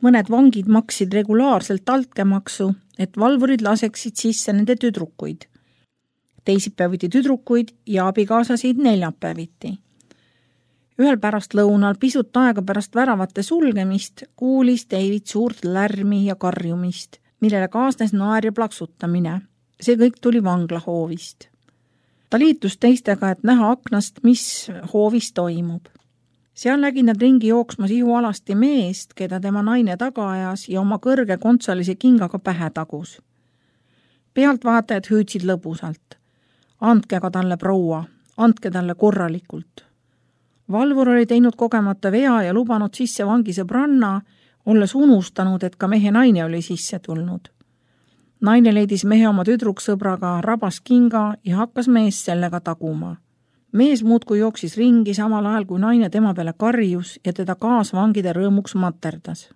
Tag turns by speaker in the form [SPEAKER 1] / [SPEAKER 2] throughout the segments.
[SPEAKER 1] Mõned vangid maksid regulaarselt altkäemaksu, et valvurid laseksid sisse nende tüdrukuid. Teisipäeviti tüdrukuid ja abikaasasid neljapäeviti. Ühel pärast lõunal, pisut aega pärast väravate sulgemist, kuulis David suurt lärmi ja karjumist, millele kaasnes naer ja plaksutamine. See kõik tuli vanglahoovist. Ta liitus teistega, et näha aknast, mis hoovis toimub. Seal nägid nad ringi jooksmas ihualasti meest, keda tema naine taga ajas ja oma kõrge kontsalise kingaga pähe tagus. Pealtvaatajad hüüdsid lõbusalt. Andke ka talle, proua, andke talle korralikult. Valvur oli teinud kogemata vea ja lubanud sisse vangi sõbranna, olles unustanud, et ka mehe naine oli sisse tulnud. Naine leidis mehe oma tüdruksõbraga, rabas kinga ja hakkas mees sellega taguma. Mees muudkui jooksis ringi samal ajal, kui naine tema peale karjus ja teda kaasvangide rõõmuks materdas.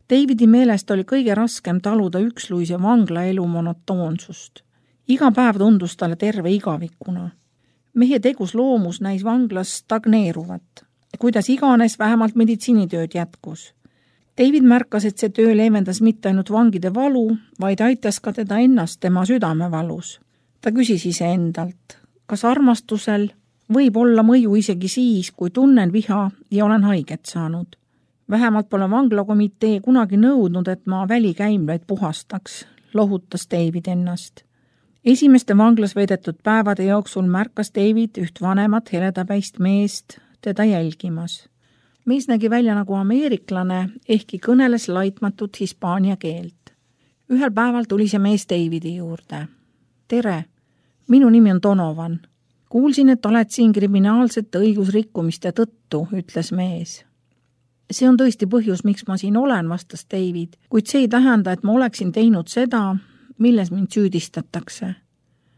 [SPEAKER 1] Davidi meelest oli kõige raskem taluda üksluise vanglaelu monotoonsust. Iga päev tundus talle terve igavikuna. Mehe tegus loomus näis vanglas stagneeruvat. Kuidas iganes vähemalt meditsiinitööd jätkus. David märkas, et see töö leevendas mitte ainult vangide valu, vaid aitas ka teda ennast tema südamevalus. Ta küsis iseendalt, kas armastusel võib olla mõju isegi siis, kui tunnen viha ja olen haiget saanud. Vähemalt pole vanglakomitee kunagi nõudnud, et ma välikäimlaid puhastaks, lohutas David ennast. Esimeste vanglas veedetud päevade jooksul märkas David üht vanemat heledapäist meest teda jälgimas. Mees nägi välja nagu ameeriklane, ehkki kõneles laitmatut hispaania keelt. Ühel päeval tuli see mees Davidi juurde. Tere, minu nimi on Donovan. Kuulsin, et oled siin kriminaalsete õigusrikkumiste tõttu, ütles mees. See on tõesti põhjus, miks ma siin olen, vastas David, kuid see ei tähenda, et ma oleksin teinud seda, milles mind süüdistatakse.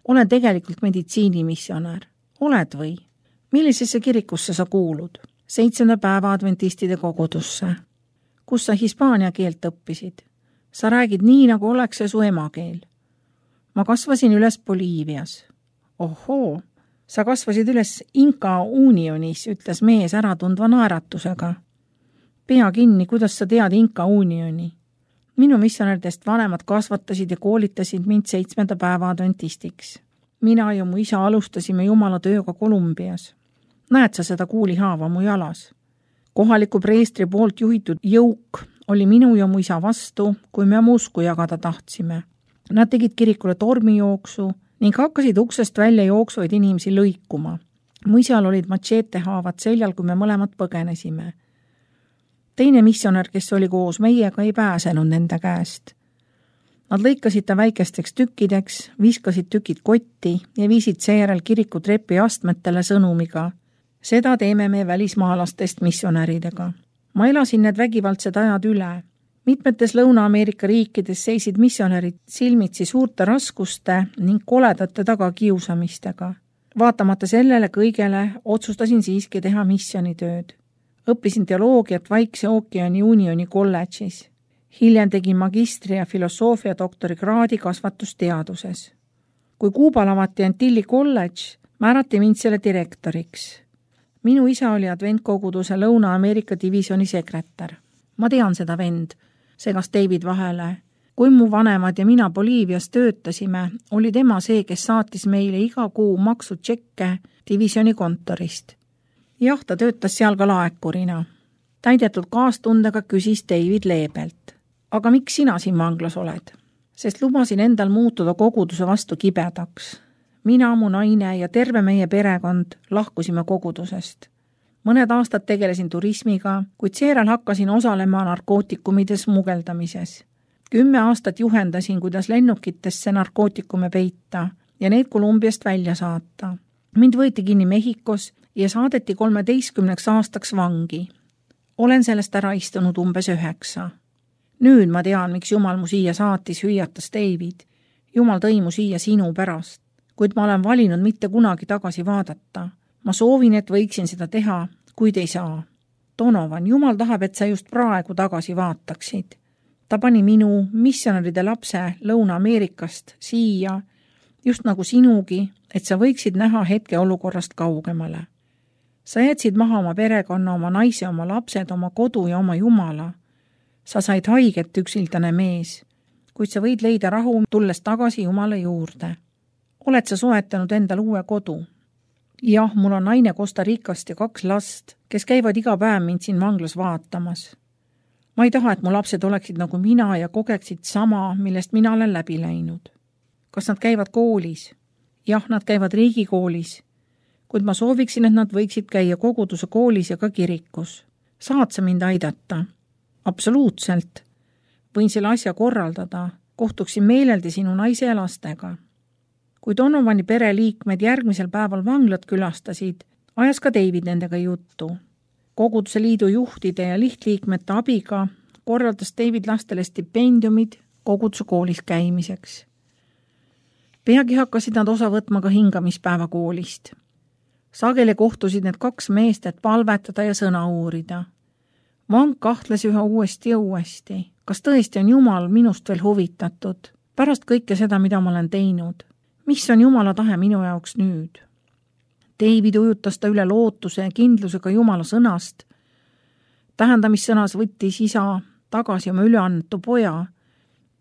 [SPEAKER 1] Olen tegelikult meditsiinimissionär. Oled või? Millisesse kirikusse sa kuulud? 7. päeva adventistide kogudusse. Kus sa hispaania keelt õppisid? Sa räägid nii, nagu oleks see su emakeel. Ma kasvasin üles Boliivias. Ohoo, sa kasvasid üles Inca Unionis, ütles mees äratundva naeratusega. Pea kinni, kuidas sa tead Inca Unioni? Minu missionäridest vanemad kasvatasid ja koolitasid mind 7. päeva adventistiks. Mina ja mu isa alustasime Jumala tööga Kolumbias. Näed sa seda kuulihaava mu jalas? Kohaliku preestri poolt juhitud jõuk oli minu ja mu isa vastu, kui me usku jagada tahtsime. Nad tegid kirikule tormijooksu ning hakkasid uksest välja jooksvaid inimesi lõikuma. Mu isal olid matšeetehaavad seljal, kui me mõlemad põgenesime. Teine missionär, kes oli koos meiega, ei pääsenud nende käest. Nad lõikasid ta väikesteks tükkideks, viskasid tükid kotti ja viisid seejärel kiriku trepi astmetele sõnumiga. Seda teeme me välismaalastest missionäridega. Ma elasin need vägivaldsed ajad üle. Mitmetes Lõuna-Ameerika riikides seisid missionärid silmitsi suurte raskuste ning koledate tagakiusamistega. Vaatamata sellele kõigele otsustasin siiski teha missionitööd. Õppisin teoloogiat Vaikse ookeani Unioni kolledžis. Hiljem tegin magistri ja filosoofia doktorikraadi kasvatusteaduses. Kui Kuubal avati Antilli kolledž, määrati mind selle direktoriks. Minu isa oli adventkoguduse Lõuna-Ameerika divisjoni sekretär. Ma tean seda vend, segas David vahele. Kui mu vanemad ja mina Boliivias töötasime, oli tema see, kes saatis meile iga kuu maksutšekke divisjoni kontorist. Jah, ta töötas seal ka laekurina. Täidetud kaastundega küsis David leebelt. Aga miks sina siin vanglas oled? Sest lubasin endal muutuda koguduse vastu kibedaks. Mina, mu naine ja terve meie perekond lahkusime kogudusest. Mõned aastad tegelesin turismiga, kuid seejärel hakkasin osalema narkootikumide smugeldamises. 10 aastat juhendasin, kuidas lennukitesse narkootikume peita ja neid Kolumbiast välja saata. Mind võeti kinni Mehhikos ja saadeti 13 aastaks vangi. Olen sellest ära istunud umbes 9. Nüüd ma tean, miks Jumal mu siia saatis, hüüatas David. Jumal tõi mu siia sinu pärast, kuid ma olen valinud mitte kunagi tagasi vaadata. Ma soovin, et võiksin seda teha, kuid ei saa. Donovan, Jumal tahab, et sa just praegu tagasi vaataksid. Ta pani minu missionäride lapse Lõuna-Ameerikast siia, just nagu sinugi, et sa võiksid näha hetke olukorrast kaugemale. Sa jätsid maha oma perekonna, oma naise, oma lapsed, oma kodu ja oma Jumala. Sa said haiget, üksildane mees, kuid sa võid leida rahu, tulles tagasi Jumala juurde. Oled sa soetanud endal uue kodu? Jah, mul on naine Costa Ricast ja 2 last, kes käivad iga päev mind siin vanglas vaatamas. Ma ei taha, et mu lapsed oleksid nagu mina ja kogeksid sama, millest mina olen läbi läinud. Kas nad käivad koolis? Jah, nad käivad riigikoolis, kuid ma sooviksin, et nad võiksid käia koguduse koolis ja ka kirikus. Saad sa mind aidata? Absoluutselt. Võin selle asja korraldada. Kohtuksin meeleldi sinu naise ja lastega. Kui Donovani pereliikmed järgmisel päeval vanglat külastasid, ajas ka David nendega juttu. Koguduse liidu juhtide ja lihtliikmete abiga korraldas David lastele stipendiumid koguduse koolis käimiseks. Peagi hakkasid nad osa võtma ka hingamispäeva koolist. Sageli kohtusid need 2 meest, et palvetada ja sõna uurida. Vang kahtles üha uuesti ja uuesti. Kas tõesti on Jumal minust veel huvitatud? Pärast kõike seda, mida ma olen teinud. Mis on Jumala tahe minu jaoks nüüd? David ujutas ta üle lootuse ja kindlusega Jumala sõnast. Tähendamissõnas võttis isa tagasi oma üleannetu poja.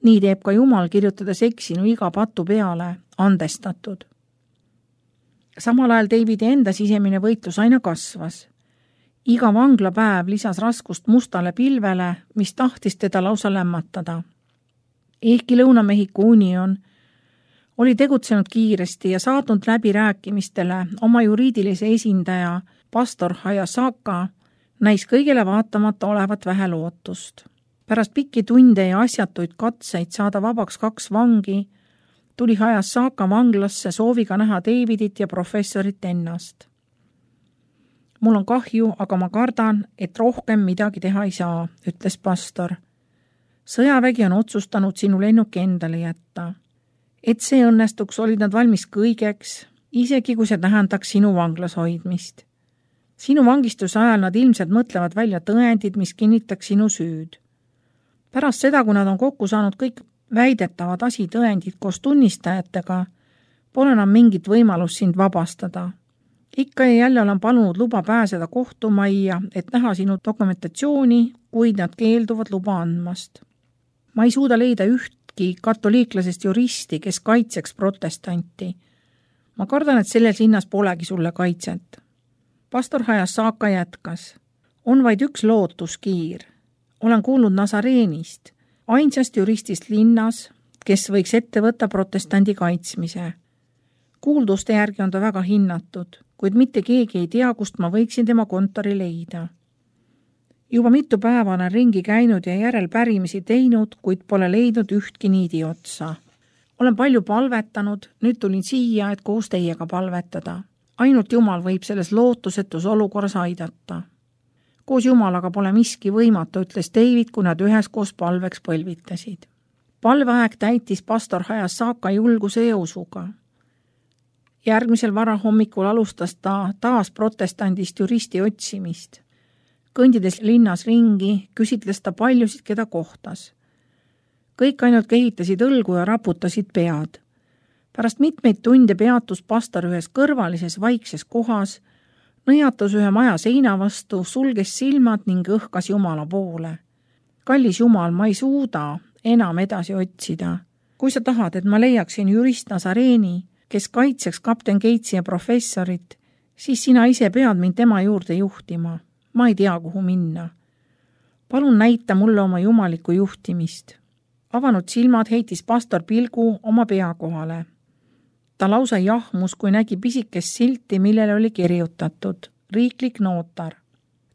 [SPEAKER 1] Nii teeb ka Jumal, kirjutades eksinu iga patu peale, andestatud. Samal ajal Davidi enda sisemine võitlus aina kasvas. Iga vanglapäev lisas raskust mustale pilvele, mis tahtis teda lausa lämmatada. Ehkki Lõuna-Mehhiko Union oli tegutsenud kiiresti ja saatnud läbirääkimistele oma juriidilise esindaja pastor Hayasaka, näis kõigele vaatamata olevat vähe lootust. Pärast pikki tunde ja asjatuid katseid saada vabaks 2 vangi, tuli Hayasaka vanglasse sooviga näha Davidit ja professorit ennast. Mul on kahju, aga ma kardan, et rohkem midagi teha ei saa, ütles pastor. Sõjavägi on otsustanud sinu lennuki endale jätta. Et see õnnestuks, olid nad valmis kõigeks, isegi kui see tähendaks sinu vanglas hoidmist. Sinu vangistuse ajal nad ilmselt mõtlevad välja tõendid, mis kinnitaks sinu süüd. Pärast seda, kui nad on kokku saanud kõik väidetavad asitõendid koos tunnistajatega, pole enam mingit võimalust sind vabastada. Ikka ja jälle olen palunud luba pääseda kohtumajja, et näha sinu dokumentatsiooni, kuid nad keelduvad luba andmast. Ma ei suuda leida ühtki katoliiklasest juristi, kes kaitseks protestanti. Ma kardan, et selles linnas polegi sulle kaitset. Pastor Hayasaka jätkas. On vaid üks lootuskiir. Olen kuulnud Nazareenist, ainsast juristist linnas, kes võiks ette võtta protestandi kaitsmise. Kuulduste järgi on ta väga hinnatud, kuid mitte keegi ei tea, kust ma võiksin tema kontori leida. Juba mitu päeva olen ringi käinud ja järelpärimisi teinud, kuid pole leidnud ühtki niidi otsa. Olen palju palvetanud, nüüd tulin siia, et koos teiega palvetada. Ainult Jumal võib selles lootusetus olukorras aidata. Koos Jumalaga pole miski võimatu, ütles David, kui nad üheskoos palveks põlvitasid. Palveaeg täitis pastor Hayasaka julguse ja usuga. Järgmisel varahommikul alustas ta taas protestandist juristi otsimist. Kõndides linnas ringi, küsitles ta paljusid, keda kohtas. Kõik ainult kehitasid õlgu ja raputasid pead. Pärast mitmeid tunde peatus pastor ühes kõrvalises vaikses kohas, nõjatus ühe maja seina vastu, sulges silmad ning õhkas Jumala poole. Kallis Jumal, ma ei suuda enam edasi otsida. Kui sa tahad, et ma leiaksin jurist Nazareeni, kes kaitseks kapten Gatesi ja professorit, siis sina ise pead mind tema juurde juhtima. Ma ei tea, kuhu minna. Palun näita mulle oma jumalikku juhtimist. Avanud silmad heitis pastor pilgu oma pea kohale. Ta lausa jahmus, kui nägi pisikest silti, millele oli kirjutatud riiklik nootar.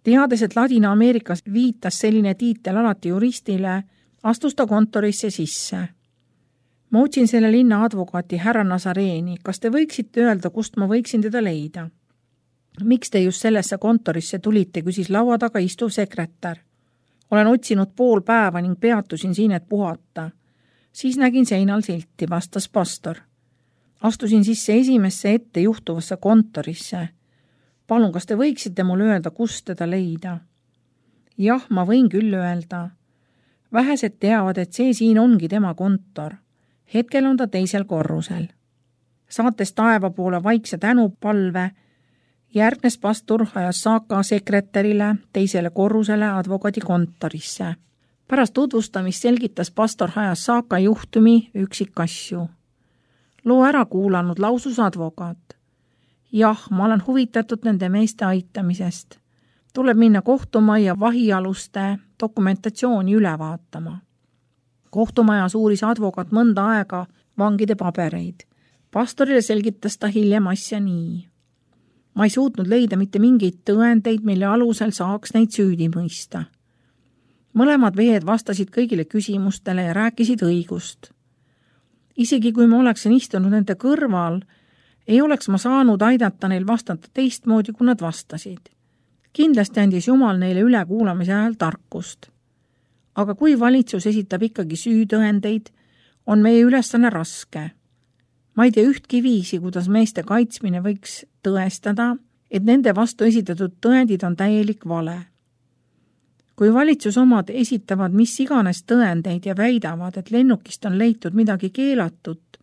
[SPEAKER 1] Teades, et Ladina-Ameerikas viitas selline tiitel alati juristile, astus ta kontorisse sisse. Ma otsin selle linna advokaati härra Nazareeni. Kas te võiksite öelda, kust ma võiksin teda leida? Miks te just sellesse kontorisse tulite, küsis laua taga istuv sekretär. Olen otsinud pool päeva ning peatusin siin, et puhata. Siis nägin seinal silti, vastas pastor. Astusin sisse esimesse ette juhtuvasse kontorisse. Palun, kas te võiksite mulle öelda, kust teda leida? Jah, ma võin küll öelda. Vähesed teavad, et see siin ongi tema kontor. Hetkel on ta teisel korrusel. Saates taeva poole vaikse tänupalve, järgnes pastor Hayasaka sekretärile teisele korrusele advokaadi kontorisse. Pärast tutvustamist selgitas pastor Hayasaka juhtumi üksikasju. Loo ära kuulanud lausus advokaat. Jah, ma olen huvitatud nende meeste aitamisest. Tuleb minna kohtumajja vahialuste dokumentatsiooni üle vaatama. Kohtumajas uuris advokaat mõnda aega vangide pabereid. Pastorile selgitas ta hiljem asja nii. Ma ei suutnud leida mitte mingeid tõendeid, mille alusel saaks neid süüdi mõista. Mõlemad veed vastasid kõigile küsimustele ja rääkisid õigust. Isegi kui ma oleksin istunud nende kõrval, ei oleks ma saanud aidata neil vastata teistmoodi, kui nad vastasid. Kindlasti andis Jumal neile ülekuulamise ajal tarkust. Aga kui valitsus esitab ikkagi süütõendeid, on meie ülesanne raske. Ma ei tea ühtki viisi, kuidas meeste kaitsmine võiks tõestada, et nende vastu esitatud tõendid on täielik vale. Kui valitsus omad esitavad mis iganes tõendeid ja väidavad, et lennukist on leitud midagi keelatut,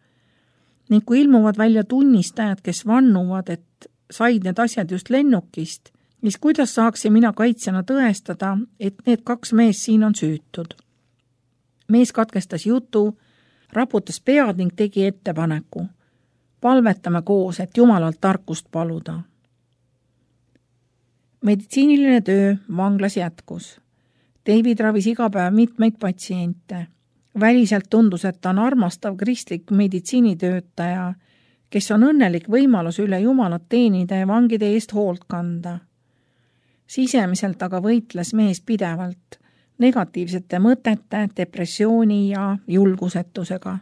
[SPEAKER 1] ning kui ilmuvad välja tunnistajad, kes vannuvad, et said need asjad just lennukist, siis kuidas saaksin mina kaitsjana tõestada, et need 2 mees siin on süütud? Mees katkestas jutu, raputas pead ning tegi ettepaneku. Palvetame koos, et Jumalalt tarkust paluda. Meditsiiniline töö vanglas jätkus. David ravis iga päev mitmeid patsiente. Väliselt tundus, et ta on armastav kristlik meditsiinitöötaja, kes on õnnelik võimalus üle Jumalat teenida ja vangide eest hoolt kanda. Sisemiselt aga võitles mees pidevalt negatiivsete mõtete, depressiooni ja julgusetusega.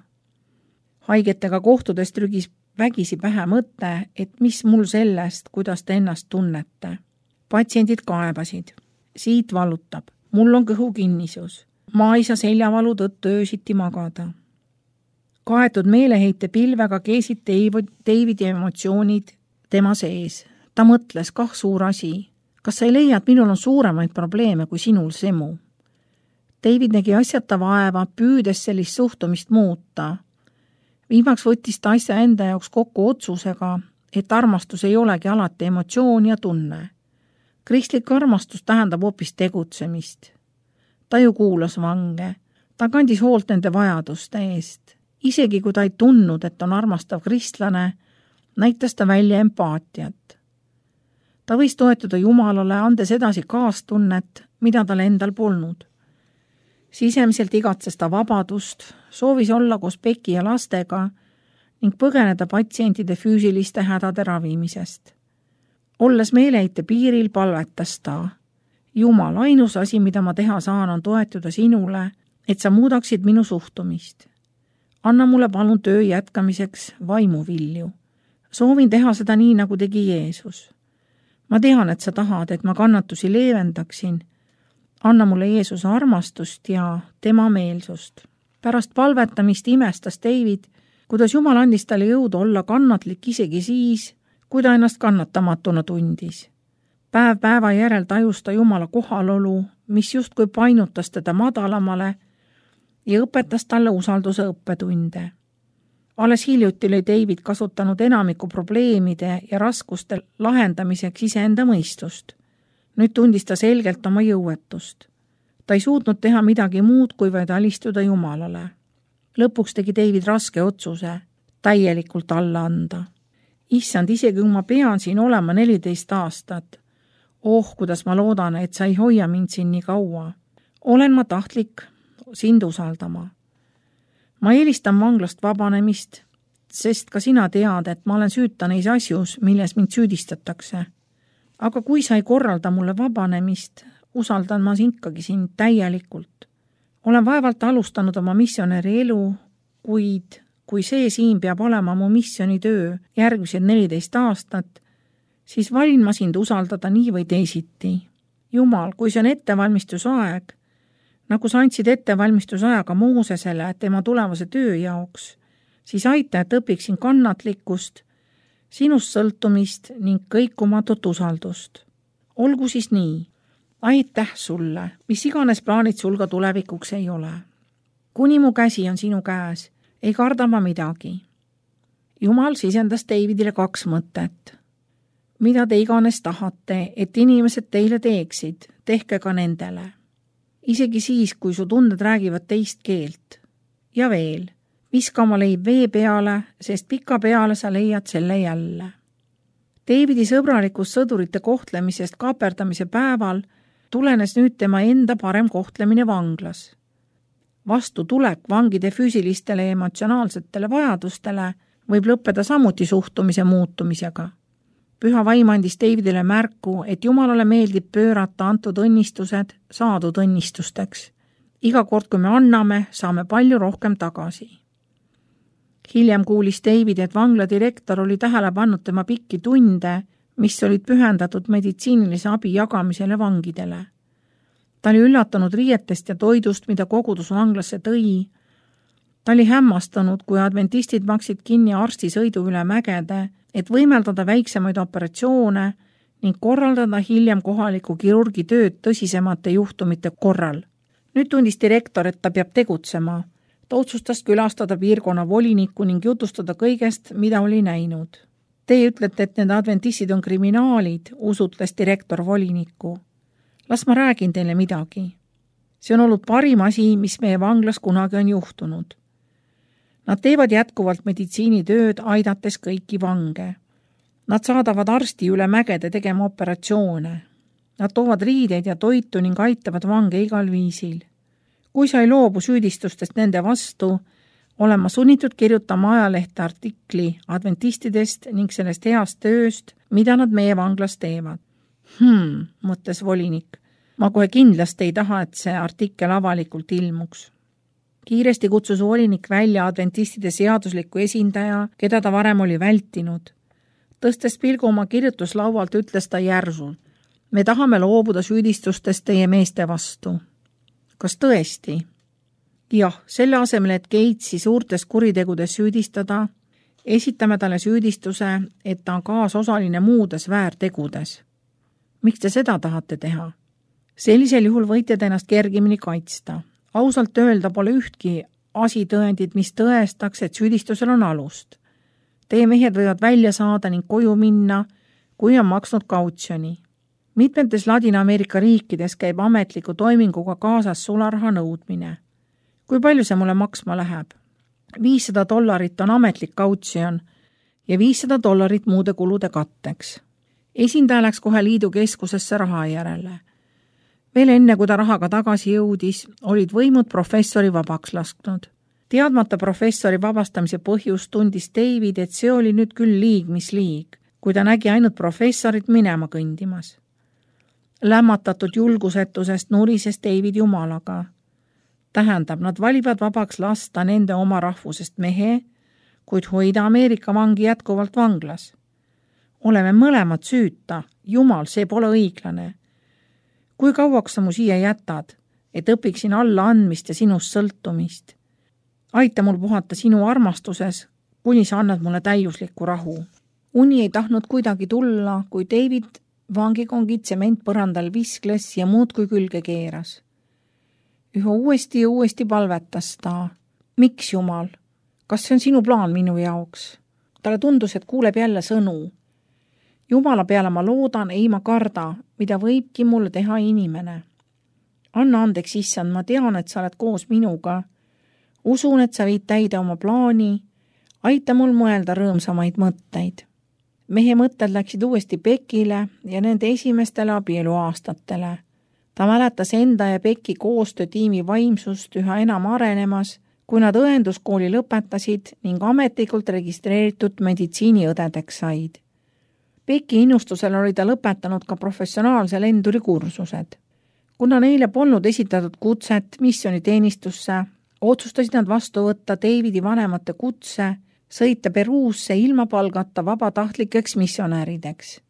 [SPEAKER 1] Haigetega kohtudes trügis vägisi pähe mõte, et mis mul sellest, kuidas te ennast tunnete. Patsiendid kaebasid. Siit valutab. Mul on kõhukinnisus. Ma ei saa seljavalu tõttu öösiti magada. Kaetud meeleheite pilvega keesid Davidi emotsioonid tema sees. Ta mõtles, kah suur asi. Kas sa ei leia, et minul on suuremaid probleeme kui sinul semu? David nägi asjata vaeva, püüdes sellist suhtumist muuta. Viimaks võttis ta asja enda jaoks kokku otsusega, et armastus ei olegi alati emotsioon ja tunne. Kristlik armastus tähendab hoopis tegutsemist. Ta ju kuulas vange. Ta kandis hoolt nende vajaduste eest. Isegi kui ta ei tundnud, et on armastav kristlane, näitas ta välja empaatiat. Ta võis toetuda Jumalale, andes edasi kaastunnet, mida tal endal polnud. Sisemiselt igatses ta vabadust, soovis olla koos Peki ja lastega ning põgeneda patsientide füüsiliste hädade ravimisest. Olles meeleheite piiril, palvetas ta. Jumal, ainus asi, mida ma teha saan, on toetuda sinule, et sa muudaksid minu suhtumist. Anna mulle palun töö jätkamiseks vaimuvilju. Soovin teha seda nii, nagu tegi Jeesus. Ma tean, et sa tahad, et ma kannatusi leevendaksin. Anna mulle Jeesuse armastust ja tema meelsust. Pärast palvetamist imestas David, kuidas Jumal andis talle jõudu olla kannatlik isegi siis, kui ta ennast kannatamatuna tundis. Päev päeva järel tajus ta Jumala kohalolu, mis justkui painutas teda madalamale ja õpetas talle usalduse õppetunde. Alles hiljuti oli David kasutanud enamiku probleemide ja raskuste lahendamiseks iseenda mõistust. Nüüd tundis ta selgelt oma jõuetust. Ta ei suutnud teha midagi muud, kui vaid alistuda Jumalale. Lõpuks tegi David raske otsuse täielikult alla anda. Issand, isegi kui ma pean siin olema 14 aastat. Kuidas ma loodan, et sa ei hoia mind siin nii kaua. Olen ma tahtlik sind usaldama. Ma eelistan vanglast vabanemist, sest ka sina tead, et ma olen süüta neis asjus, milles mind süüdistatakse. Aga kui sa ei korralda mulle vabanemist, usaldan ma ikkagi sind täielikult. Olen vaevalt alustanud oma missionäri elu, kuid kui see siin peab olema mu missionitöö järgmised 14 aastat, siis valin ma sind usaldada nii või teisiti. Jumal, kui see on ettevalmistusaeg, nagu sa andsid ettevalmistusajaga Moosesele tema tulevase töö jaoks, siis aita, et õpiksin kannatlikkust, sinust sõltumist ning kõikumatut usaldust. Olgu siis nii. Aitäh sulle, mis iganes plaanid sul ka tulevikuks ei ole. Kuni mu käsi on sinu käes, ei karda ma midagi. Jumal sisendas Davidile 2 mõtet. Mida te iganes tahate, et inimesed teile teeksid, tehke ka nendele. Isegi siis, kui su tunded räägivad teist keelt. Ja veel, viska oma leib vee peale, sest pika peale sa leiad selle jälle. Davidi sõbralikust sõdurite kohtlemisest kaaperdamise päeval tulenes nüüd tema enda parem kohtlemine vanglas. Vastutulek vangide füüsilistele ja emotsionaalsetele vajadustele võib lõppeda samuti suhtumise muutumisega. Püha vaim andis Davidile märku, et Jumalale meeldib pöörata antud õnnistused saadud õnnistusteks. Iga kord, kui me anname, saame palju rohkem tagasi. Hiljem kuulis David, et vangla direktor oli tähele pannud tema pikki tunde, mis olid pühendatud meditsiinilise abi jagamisele vangidele. Ta oli üllatunud riietest ja toidust, mida kogudus vanglasse tõi. Ta oli hämmastanud, kui adventistid maksid kinni arstisõidu üle mägede, et võimeldada väiksemaid operatsioone ning korraldada hiljem kohaliku kirurgi tööd tõsisemate juhtumite korral. Nüüd tundis direktor, et ta peab tegutsema. Ta otsustas külastada piirkonna voliniku ning jutustada kõigest, mida oli näinud. Teie ütlete, et need adventistid on kriminaalid, usutles direktor volinikku. Las ma räägin teile midagi. See on olnud parim asi, mis meie vanglas kunagi on juhtunud. Nad teevad jätkuvalt meditsiinitööd, aidates kõiki vange. Nad saadavad arsti üle mägede tegema operatsioone. Nad toovad riideid ja toitu ning aitavad vange igal viisil. Kui sa ei loobu süüdistustest nende vastu, olen ma sunnitud kirjutama ajalehte artikli adventistidest ning sellest heast tööst, mida nad meie vanglas teevad. Mõtles volinik. Ma kohe kindlasti ei taha, et see artikkel avalikult ilmuks. Kiiresti kutsus volinik välja adventistide seadusliku esindaja, keda ta varem oli vältinud. Tõstes pilgu oma kirjutuslaualt ütles ta järsult. Me tahame loobuda süüdistustest teie meeste vastu. Kas tõesti? Jah, selle asemel, et Gatesi suurtes kuritegudes süüdistada, esitame talle süüdistuse, et ta on kaasosaline muudes väärtegudes. Miks te seda tahate teha? Sellisel juhul võite te ennast kergemini kaitsta. Ausalt öelda pole ühtki asitõendid, mis tõestaks, et süüdistusel on alust. Teie mehed võivad välja saada ning koju minna, kui on maksnud kautsjoni. Mitmetes Ladina-Ameerika riikides käib ametliku toiminguga kaasas sularaha nõudmine. Kui palju see mulle maksma läheb? $500 on ametlik kautsjon ja $500 muude kulude katteks. Esindaja läks kohe liidu keskusesse raha järele. Veel enne, kui ta rahaga tagasi jõudis, olid võimud professori vabaks lasknud. Teadmata professori vabastamise põhjust tundis David, et see oli nüüd küll liig, mis liig, kui ta nägi ainult professorit minema kõndimas. Lämmatatud julgusetusest nurises David Jumalaga. Tähendab, nad valivad vabaks lasta nende oma rahvusest mehe, kuid hoida Ameerika vangi jätkuvalt vanglas. Oleme mõlemad süüta, Jumal, see pole õiglane. Kui kauaks sa mu siia jätad, et õpiksin alla andmist ja sinust sõltumist? Aita mul puhata sinu armastuses, kuni sa annad mulle täiuslikku rahu. Uni ei tahtnud kuidagi tulla, kui David vangikongid tsementpõrandal viskles ja muud kui külge keeras. Üha uuesti ja uuesti palvetas ta. Miks, Jumal? Kas see on sinu plaan minu jaoks? Talle tundus, et kuuleb jälle sõnu. Jumala peale ma loodan, ei ma karda, mida võibki mulle teha inimene. Anna andeks, issand, ma tean, et sa oled koos minuga. Usun, et sa viid täide oma plaani. Aita mul mõelda rõõmsamaid mõtteid. Mehe mõtted läksid uuesti Beckile ja nende esimestele abieluaastatele. Ta mäletas enda ja Becki koostöötiimi vaimsust üha enam arenemas, kui nad õenduskooli lõpetasid ning ametlikult registreeritud meditsiiniõdedeks said. Becki innustusel oli ta lõpetanud ka professionaalse lenduri kursused. Kuna neile polnud esitatud kutset missioniteenistusse, otsustasid nad vastu võtta Davidi vanemate kutse sõita Peruusse ilma palgata vabatahtlikeks missionäärideks.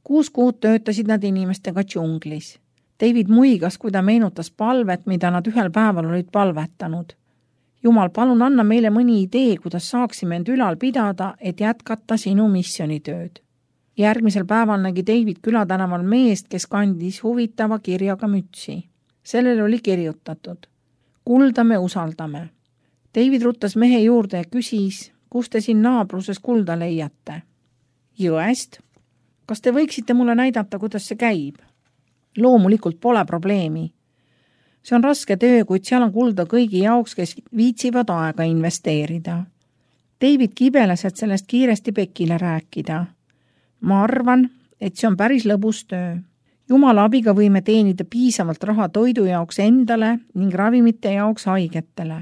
[SPEAKER 1] 6 kuud töötasid nad inimestega džunglis. David muigas, kui ta meenutas palvet, mida nad ühel päeval olid palvetanud. Jumal, palun anna meile mõni idee, kuidas saaksime end ülal pidada, et jätkata sinu missionitööd. Järgmisel päeval nägi David külatänaval meest, kes kandis huvitava kirjaga mütsi. Sellel oli kirjutatud. Kuldame, usaldame. David ruttas mehe juurde ja küsis, kus te siin naabruses kulda leiate? Jõest. Kas te võiksite mulle näidata, kuidas see käib? Loomulikult pole probleemi. See on raske töö, kuid seal on kulda kõigi jaoks, kes viitsivad aega investeerida. David kibeles, et sellest kiiresti Beckile rääkida. Ma arvan, et see on päris lõbus töö. Jumala abiga võime teenida piisavalt raha toidu jaoks endale ning ravimite jaoks haigetele.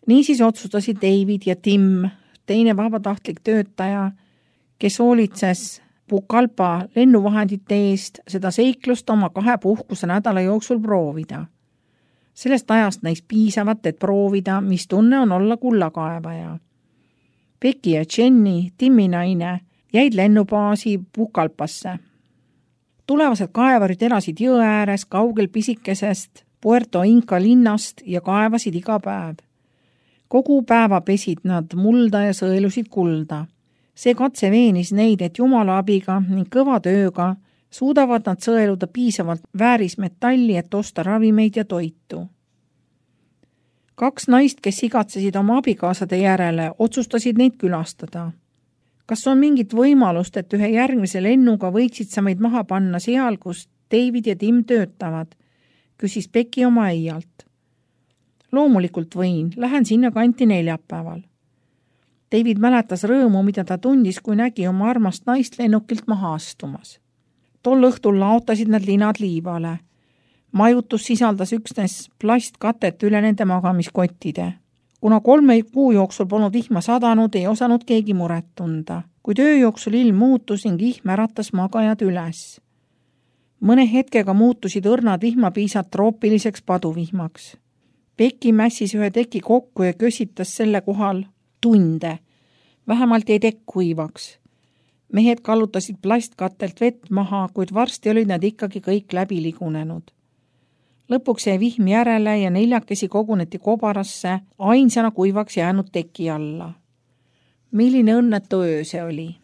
[SPEAKER 1] Niisiis otsustasid David ja Tim, teine vabatahtlik töötaja, kes hoolitses Pucallpa lennuvahendite eest, seda seiklust oma 2 puhkuse nädala jooksul proovida. Sellest ajast näis piisavat, et proovida, mis tunne on olla kullakaevaja. Becky ja Jenny, Timmi naine, jäid lennubaasi Pucallpasse. Tulevased kaevarid elasid jõe ääres kaugel pisikesest Puerto Inca linnast ja kaevasid iga päev. Kogu päeva pesid nad mulda ja sõelusid kulda. See katse veenis neid, et Jumala abiga ning kõva tööga suudavad nad sõeluda piisavalt väärismetalli, et osta ravimeid ja toitu. 2 naist, kes igatsesid oma abikaasade järele, otsustasid neid külastada. Kas on mingit võimalust, et ühe järgmise lennuga võiksid sa meid maha panna seal, kus David ja Tim töötavad? Küsis Becky oma äialt. Loomulikult võin, lähen sinna kanti neljapäeval. David mäletas rõõmu, mida ta tundis, kui nägi oma armast naist lennukilt maha astumas. Tol õhtul laotasid nad linad liivale. Majutus sisaldas üksnes plastkatet üle nende magamiskottide. Kuna 3 kuu jooksul polnud vihma sadanud, ei osanud keegi muret tunda. Kui töö jooksul ilm muutus ning vihm äratas magajad üles. Mõne hetkega muutusid õrnad vihmapiisad troopiliseks paduvihmaks. Becky mässis ühe teki kokku ja kösitas selle kohal tunde. Vähemalt jäi tekk kuivaks. Mehed kallutasid plastkatelt vett maha, kuid varsti olid nad ikkagi kõik läbi ligunenud. Lõpuks jäi vihm järele ja 4 koguneti kobarasse ainsana kuivaks jäänud teki alla. Milline õnnetu öö see oli.